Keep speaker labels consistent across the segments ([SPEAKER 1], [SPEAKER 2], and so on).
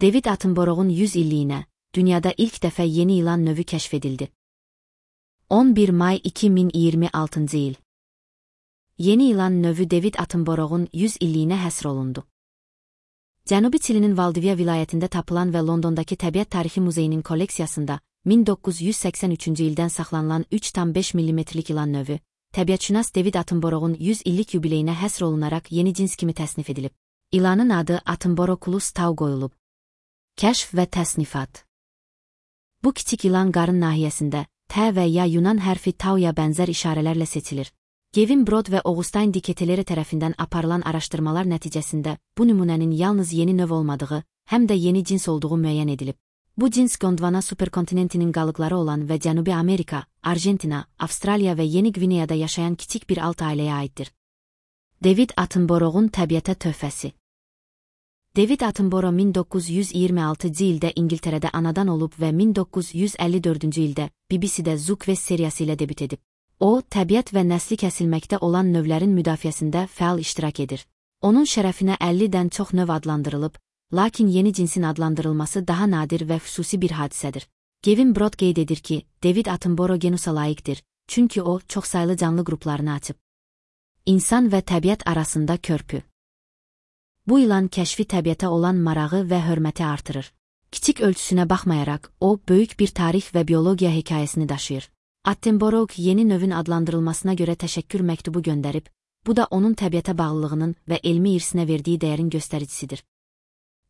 [SPEAKER 1] David Attenborough'un 100 illiyinə, dünyada ilk dəfə yeni ilan növü kəşf edildi. 11 may 2026 il. Yeni ilan növü David Attenborough'un 100 illiyinə həsr olundu. Cənubi Çilinin Valdivia vilayətində tapılan və Londondakı Təbiət Tarixi Muzeyinin kolleksiyasında 1983-cü ildən saxlanılan 3,5 mm-lik ilan növü, təbiətşünas David Attenborough'un 100 illik yubileyinə həsr olunaraq yeni cins kimi təsnif edilib. İlanın adı Attenboroughlus tau qoyulub. Kəşf və təsnifat. Bu kiçik ilan qarın nahiyəsində, T və ya Yunan hərfi tauya bənzər işarələrlə seçilir. Gavin Broad və Augustine de Kettelere tərəfindən aparılan araşdırmalar nəticəsində bu nümunənin yalnız yeni növ olmadığı, həm də yeni cins olduğu müəyyən edilib. Bu cins Gondwana superkontinentinin qalıqları olan və Cənubi Amerika, Argentina, Avstraliya və Yeni Gvineyada yaşayan kiçik bir alt ailəyə aiddir. David Attenborough'un təbiətə töhfəsi. David Attenborough 1926-cı ildə İngiltərədə anadan olub və 1954-cü ildə BBC-də Zoo Quest seriyası ilə debüt edib. O, təbiət və nəsli kəsilməkdə olan növlərin müdafiəsində fəal iştirak edir. Onun şərəfinə 50-dən çox növ adlandırılıb, lakin yeni cinsin adlandırılması daha nadir və xüsusi bir hadisədir. Gavin Broad qeyd edir ki, David Attenborough genusa layiqdir, çünki o, çoxsaylı canlı qruplarını açıb. İnsan və təbiət arasında körpü. Bu ilan kəşfi təbiətə olan marağı və hörməti artırır. Kiçik ölçüsünə baxmayaraq, o, böyük bir tarix və biologiya hekayəsini daşıyır. Attenborough yeni növün adlandırılmasına görə təşəkkür məktubu göndərib, bu da onun təbiətə bağlılığının və elmi irsinə verdiyi dəyərin göstəricisidir.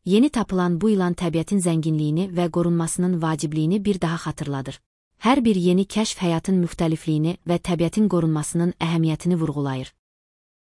[SPEAKER 1] Yeni tapılan bu ilan təbiətin zənginliyini və qorunmasının vacibliyini bir daha xatırladır. Hər bir yeni kəşf həyatın müxtəlifliyini və təbiətin qorunmasının əhəmiyyətini vurğulayır.